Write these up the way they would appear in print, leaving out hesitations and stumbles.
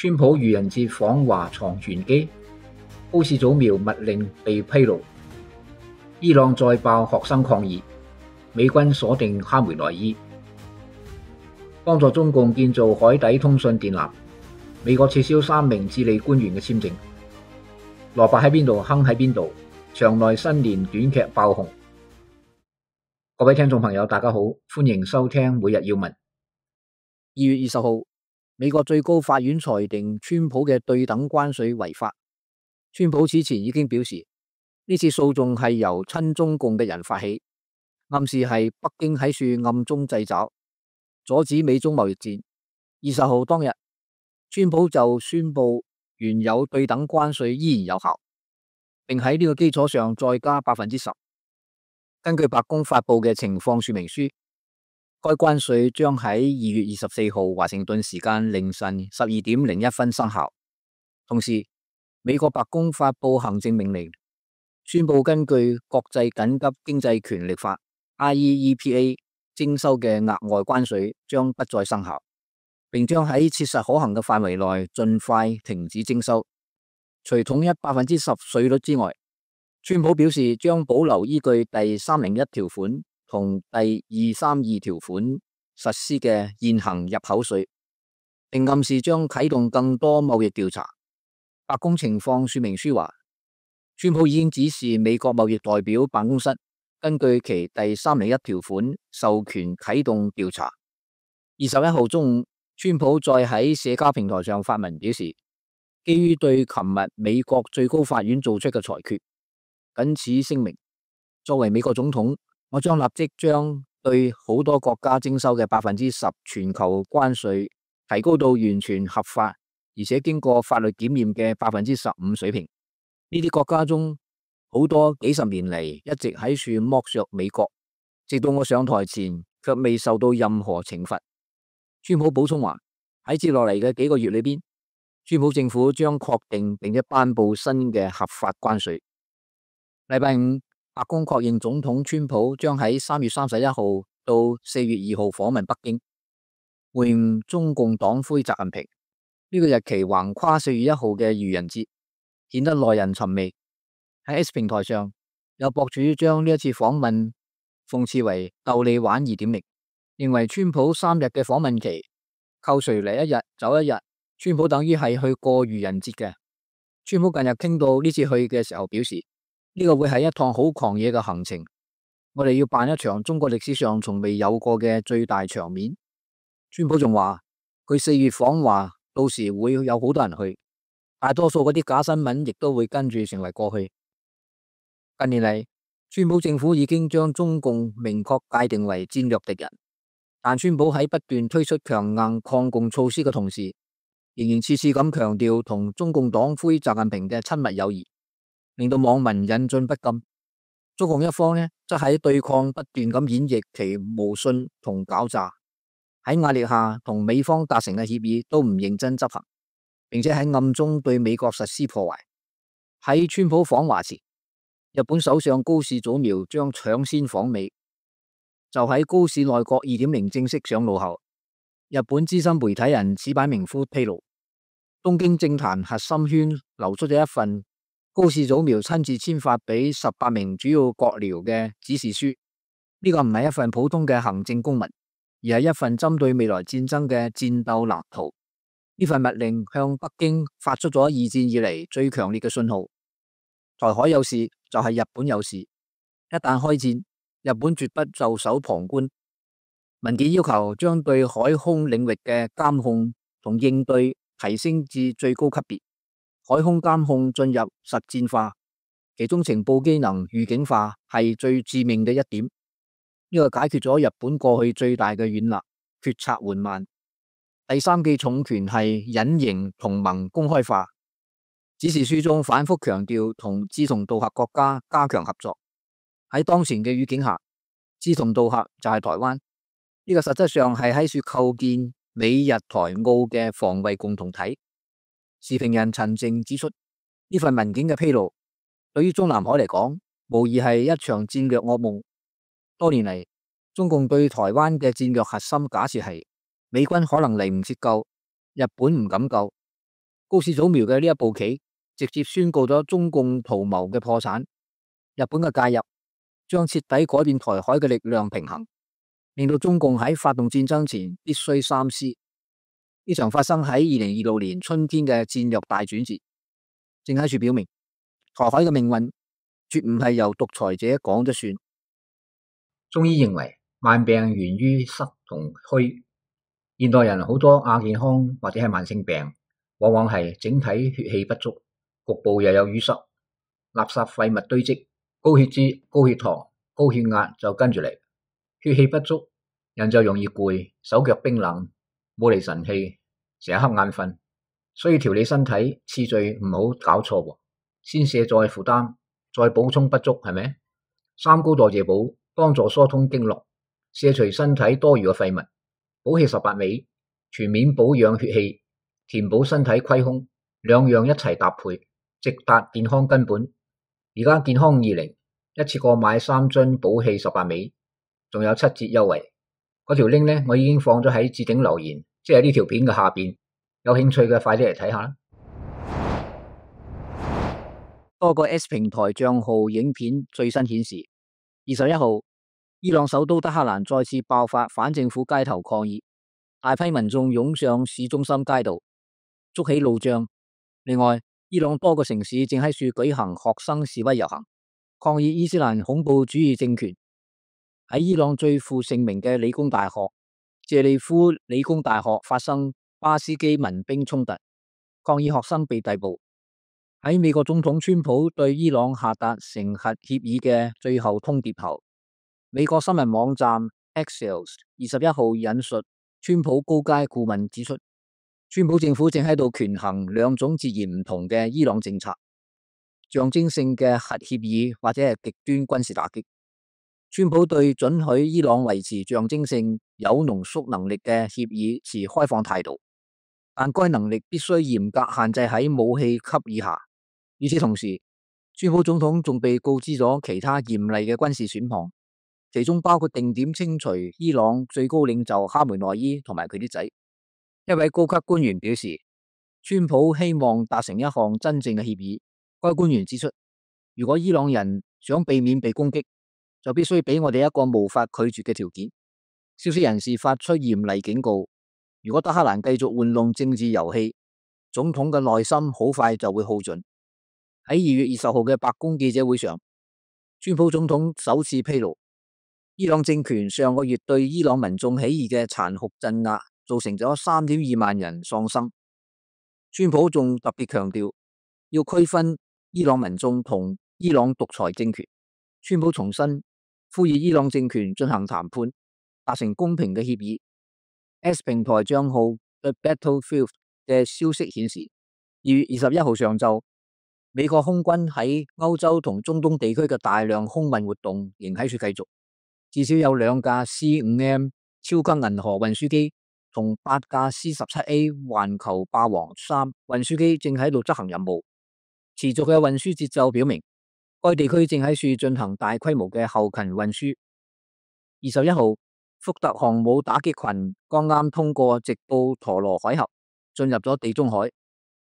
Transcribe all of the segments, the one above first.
川普愚人節訪華藏玄機，高市早苗密令被披露，伊朗再爆學生抗議，美軍鎖定哈梅內伊，幫助中共建造海底通訊電纜，美國撤銷3名智利官員嘅簽證，蘿蔔喺邊度坑喺邊度，場內新年短劇爆紅。各位聽眾朋友大家好，歡迎收聽每日要聞。2月20號，美國最高法院裁定川普嘅對等關稅違法。川普此前已經表示，呢次訴訟係由親中共嘅人發起，暗示係北京喺處暗中製造，阻止美中貿易戰。20號當日，川普就宣布原有對等關稅依然有效，並喺呢個基礎上再加 10%。根據白宮發布嘅情況說明書，該關稅將喺2月24號華盛頓時間凌晨12點01分生效。同時，美國白宮發布行政命令，宣布根據國際緊急經濟權力法 IEEPA 徵收嘅額外關稅將不再生效，並將喺切實可行嘅範圍內盡快停止徵收。除統一 10% 稅率之外，川普表示將保留依據第301條款同第232條款實施嘅現行入口稅，並暗示將啟動更多貿易調查。白宮情況說明書話，川普已經指示美國貿易代表辦公室根據其第301條款授權啟動調查。21號中午，川普再喺社交平台上發文表示，基於對琴日美國最高法院做出嘅裁決，謹此聲明，作為美國總統，我將立即將對好多國家徵收嘅 10% 全球關稅提高到完全合法而且經過法律檢驗嘅 15% 水平。呢啲國家中好多幾十年嚟一直喺處剝削美國，直到我上台前卻未受到任何懲罰。川普補充話，喺接落嚟嘅幾個月裏邊，川普政府將確定並且頒布新嘅合法關稅。禮拜五，白宮確認總統川普將喺3月31號到4月2號訪問北京，會晤中共黨魁習近平。呢個日期橫跨4月1號嘅愚人節，顯得耐人尋味。喺 X 平台上，有博主將呢一次訪問諷刺為逗你玩2.0，認為川普3日嘅訪問期扣除嚟1日走1日，川普等於係去過愚人節嘅。川普近日傾到呢次去嘅時候表示，呢個會係一趟好狂野嘅行程，我哋要辦一場中國歷史上從未有過嘅最大場面。川普仲話佢4月訪華，到時會有好多人去，大多數嗰啲假新聞亦都會跟住成為過去。近年嚟，川普政府已經將中共明確界定為戰略敵人，但川普喺不斷推出強硬抗共措施嘅同時，仍然次次咁強調同中共黨魁習近平嘅親密友誼，令到網民引進不禁。中共一方呢，則喺對抗不斷咁演繹其無信同狡詐，喺壓力下同美方達成嘅協議都唔認真執行，並且喺暗中對美國實施破壞。喺川普訪華前，日本首相高市早苗將搶先訪美。就喺高市內閣 2.0 正式上路後，日本資深媒體人矢板明夫披露，東京政壇核心圈流出咗一份高市早苗親自簽發俾18名主要閣僚嘅指示書。呢個唔係一份普通嘅行政公文，而係一份針對未來戰爭嘅戰鬥藍圖。呢份密令向北京發出咗二戰以嚟最強烈嘅信號：台海有事就係日本有事，一旦開戰，日本絕不袖手旁觀。文件要求將對海空領域嘅監控同應對提升至最高級別，海空監控進入實戰化，其中情報機能預警化係最致命嘅一點。呢個解決咗日本過去最大嘅軟肋，決策緩慢。第三記重權係隱形同盟公開化。指示書中反覆強調同志同道合國家加強合作。喺當前嘅語境下，志同道合就係台灣。呢個實質上係喺處構建美日台澳嘅防衛共同體。時評人陳靜指出，呢份文件嘅披露，對於中南海嚟講，無疑係一場戰略噩夢。多年嚟，中共對台灣嘅戰略核心假設係美軍可能嚟唔切救，日本唔敢救，高市早苗嘅呢一步棋，直接宣告咗中共圖謀嘅破產。日本嘅介入，將徹底改變台海嘅力量平衡，令到中共喺發動戰爭前必須三思。呢場發生喺2026年春天嘅戰略大轉折，正喺處表明台海嘅命運絕唔係由獨裁者講咗算。中醫認為慢病源於濕同虛，現代人好多亞健康或者係慢性病，往往係整體血氣不足，局部又有淤塞，垃圾廢物堆積，高血脂、高血糖、高血壓就跟住嚟。血氣不足，人就容易攰，手腳冰冷，冇嚟神氣，成日瞌眼瞓。所以調理身體次序唔好搞錯喎，先卸載負擔，再補充不足，係咪？三高代謝補幫助疏通經絡，卸除身體多餘嘅廢物，補氣18味，全面保養血氣，填補身體虧空，兩樣一齊搭配，直達健康根本。而家健康20一次過買3樽補氣18味，仲有7折優惠。嗰條 link 呢，我已經放咗喺置頂留言，即係呢條片嘅下邊，有興趣嘅快啲嚟睇下啦。多個 S 平台賬號影片最新顯示，21號伊朗首都德黑蘭再次爆發反政府街頭抗議，大批民眾湧上市中心街道，築起路障。另外，伊朗多個城市正喺處舉行學生示威遊行，抗議伊斯蘭恐怖主義政權。喺伊朗最負盛名嘅理工大學謝利夫理工大學發生巴斯基民兵衝突，抗議學生被逮捕。喺美國總統川普對伊朗下達成核協議嘅最後通牒後，美國新聞網站 Axios 21號引述川普高階顧問指出，川普政府正喺度權衡兩種截然唔同嘅伊朗政策：象徵性嘅核協議或者係極端軍事打擊。川普對准許伊朗維持象徵性有濃縮能力嘅協議持開放態度，但該能力必須嚴格限制喺武器級以下。與此同時，川普總統仲被告知咗其他嚴厲嘅軍事選項，其中包括定點清除伊朗最高領袖哈梅內伊同埋佢啲仔。一位高級官員表示，川普希望達成一項真正嘅協議。該官員指出，如果伊朗人想避免被攻擊，就必須俾我哋一個無法拒絕嘅條件。消息人士發出嚴厲警告，如果德黑蘭繼續玩弄政治遊戲，總統嘅耐心好快就會耗盡。喺2月20號嘅白宮記者會上，川普總統首次披露，伊朗政權上個月對伊朗民眾起義嘅殘酷鎮壓，造成咗3.2萬人喪生。川普仲特別強調，要區分伊朗民眾同伊朗獨裁政權。川普重申，呼籲伊朗政權進行談判，達成公平嘅協議。S 平台賬號 The Battlefield 嘅消息顯示，2月21號上晝，美國空軍喺歐洲同中東地區嘅大量空運活動仍喺處繼續，至少有2架 C5M 超級銀河運輸機同8架 C17A 環球霸王3運輸機正喺度執行任務。持續嘅運輸節奏表明，該地區正喺處進行大規模嘅後勤運輸。21號，福特航母打擊群剛啱通過直布陀羅海峽，進入咗地中海。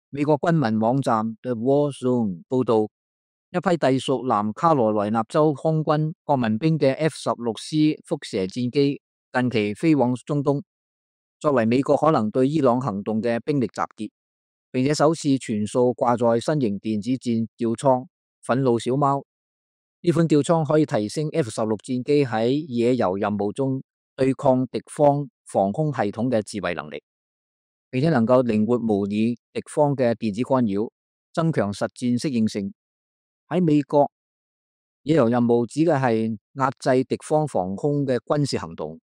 美國軍民網站 The War Zone 報道，一批隸屬南卡羅來納州空軍國民兵嘅 F-16C 輻射戰機近期飛往中東，作為美國可能對伊朗行動嘅兵力集結，並且首次全數掛載新型電子戰吊艙憤怒小貓。呢款吊艙可以提升 F-16戰機喺野遊任務中對抗敵方防空系統嘅自衛能力，並且能夠靈活模擬敵方嘅電子干擾，增強實戰適應性。喺美國，野遊任務指嘅係壓制敵方防空嘅軍事行動，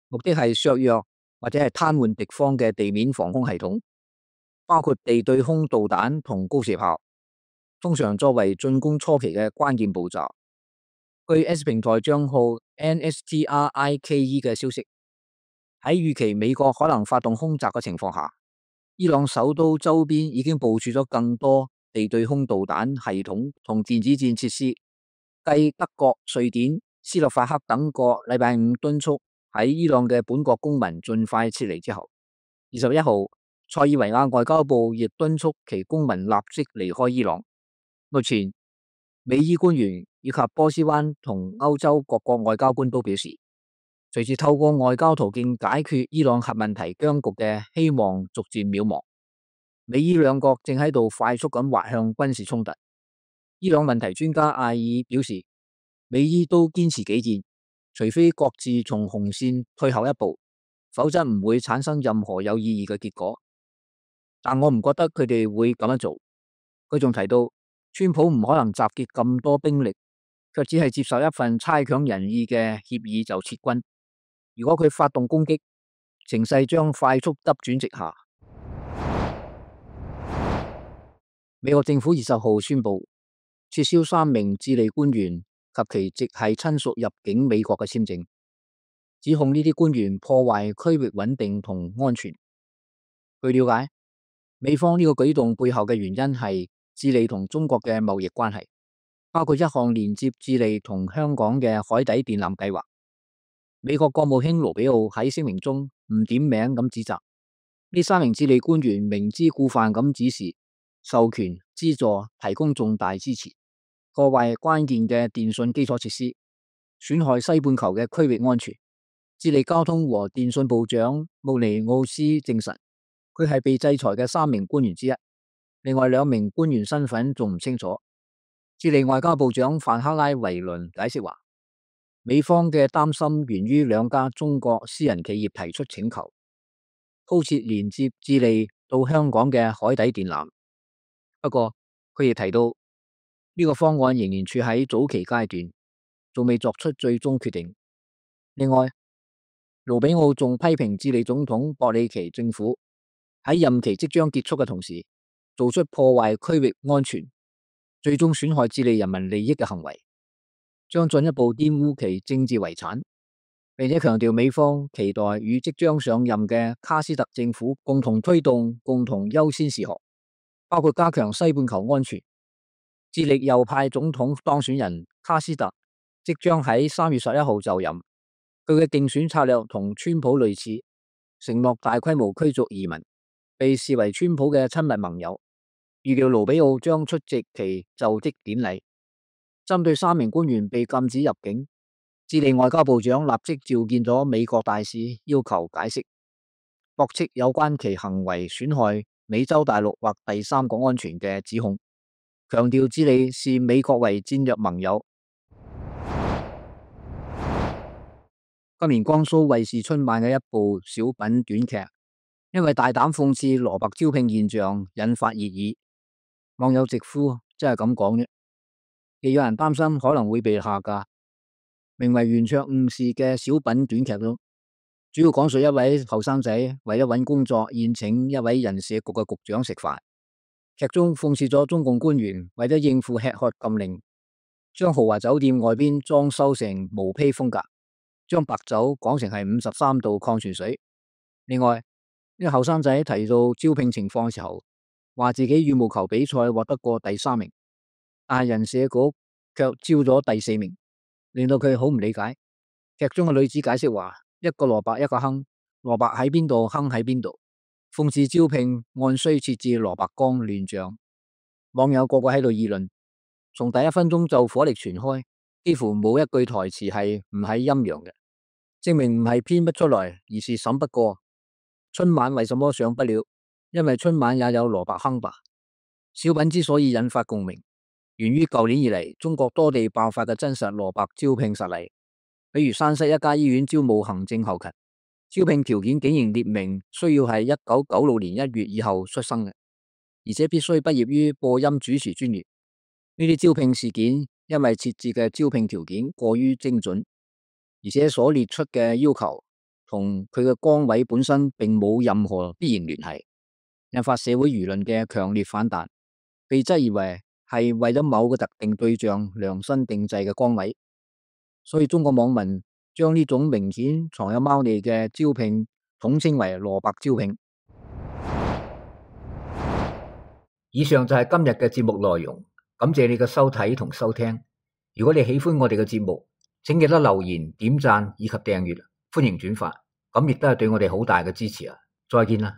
目的係削弱或者係癱瘓敵方嘅地面防空系統，包括地對空導彈同高射炮，通常作為進攻初期嘅關鍵步驟。據 S 平台賬號 NSTRIKE 嘅消息，喺預期美國可能發動空襲嘅情況下，伊朗首都周邊已經部署咗更多地對空導彈系統同電子戰設施。繼德國、瑞典、斯洛伐克等國禮拜5敦促喺伊朗嘅本國公民盡快撤離之後，21號塞爾維亞外交部亦敦促其公民立即離開伊朗。目前，美伊官員以及波斯灣同歐洲各國外交官都表示，隨住透過外交途徑解決伊朗核問題僵局嘅希望逐漸渺茫，美伊兩國正喺度快速咁滑向軍事衝突。伊朗問題專家艾爾表示，美伊都堅持己見，除非各自從紅線退後一步，否則唔會產生任何有意義嘅結果。但我唔覺得佢哋會咁樣做。佢仲提到，川普唔可能集結咁多兵力，卻只係接受一份差強人意嘅協議就撤軍。如果佢發動攻擊，情勢將快速急轉直下。美國政府20號宣布撤銷3名智利官員及其直系親屬入境美國嘅簽證，指控呢啲官員破壞區域穩定同安全。據了解，美方呢個舉動背後嘅原因係智利同中國嘅貿易關係，包括一項連接智利同香港嘅海底電纜計劃。美國國務卿盧比奧喺聲明中唔點名咁指責呢3名智利官員明知故犯咁指示、授權、資助、提供重大支持，破壞關鍵嘅電信基礎設施，損害西半球嘅區域安全。智利交通和電信部長穆尼奧斯證實，佢係被制裁嘅3名官員之一，另外2名官員身份仲唔清楚。智利外交部長范克拉維倫解釋話，美方嘅擔心源於2家中國私人企業提出請求，鋪設連接智利到香港嘅海底電纜。不過，佢亦提到呢個方案仍然處喺早期階段，仲未作出最終決定。另外，盧比奧仲批評智利總統博里奇政府喺任期即將結束嘅同時，做出破壞區域安全、最終損害智利人民利益嘅行為，將進一步玷污其政治遺產，並且強調美方期待與即將上任嘅卡斯特政府共同推動共同優先事項，包括加強西半球安全。智利右派總統當選人卡斯特即將喺3月11號就任，佢嘅競選策略同川普類似，承諾大規模驅逐移民，被視為川普嘅親密盟友。預料盧比奧將出席其就職典禮。針對3名官員被禁止入境，智利外交部長立即召見咗美國大使，要求解釋，駁斥有關其行為損害美洲大陸或第三國安全嘅指控，強調智利視美國為戰略盟友。今年江蘇衛視春晚嘅一部小品短劇，因為大膽諷刺蘿蔔招聘現象，引發熱議。網友直呼真係咁講啫，亦有人擔心可能會被下架。名為《圓桌誤事》嘅小品短劇中，主要講述一位後生仔為咗揾工作，宴請一位人社局嘅局長食飯。劇中諷刺咗中共官員為咗應付吃喝禁令，將豪華酒店外邊裝修成毛坯風格，將白酒講成係53度礦泉水。另外，呢個後生仔提到招聘情況嘅時候，話自己羽毛球比賽獲得過第3名，但係人社局卻招咗第4名，令到佢好唔理解。劇中嘅女子解釋話，一個蘿蔔一個坑，蘿蔔喺邊度，坑喺邊度，諷刺招聘按需設置蘿蔔缸亂象。網友個個喺度議論，從第1分鐘就火力全開，幾乎冇一句台詞係唔係陰陽嘅，證明唔係編不出來，而是審不過。春晚為什麼上不了？因為春晚也有蘿蔔坑吧。小品之所以引發共鳴，源於舊年以嚟中國多地爆發嘅真實蘿蔔招聘實例。比如山西一家醫院招募行政後勤，招聘條件竟然列明需要係1996年1月以後出生嘅，而且必須畢業於播音主持專業。呢啲招聘事件因為設置嘅招聘條件過於精準，而且所列出嘅要求同佢嘅崗位本身並冇任何必然聯繫，引發社會輿論嘅強烈反彈，被質疑為係為咗某個特定對象量身定制嘅崗位。所以中國網民將呢種明顯藏有貓膩嘅招聘統稱為蘿蔔招聘。以上就係今日嘅節目內容，感謝你嘅收睇同收聽。如果你喜歡我哋嘅節目，請記得留言、點讚以及訂閱，歡迎轉發，咁亦都係對我哋好大嘅支持啊！再見啦。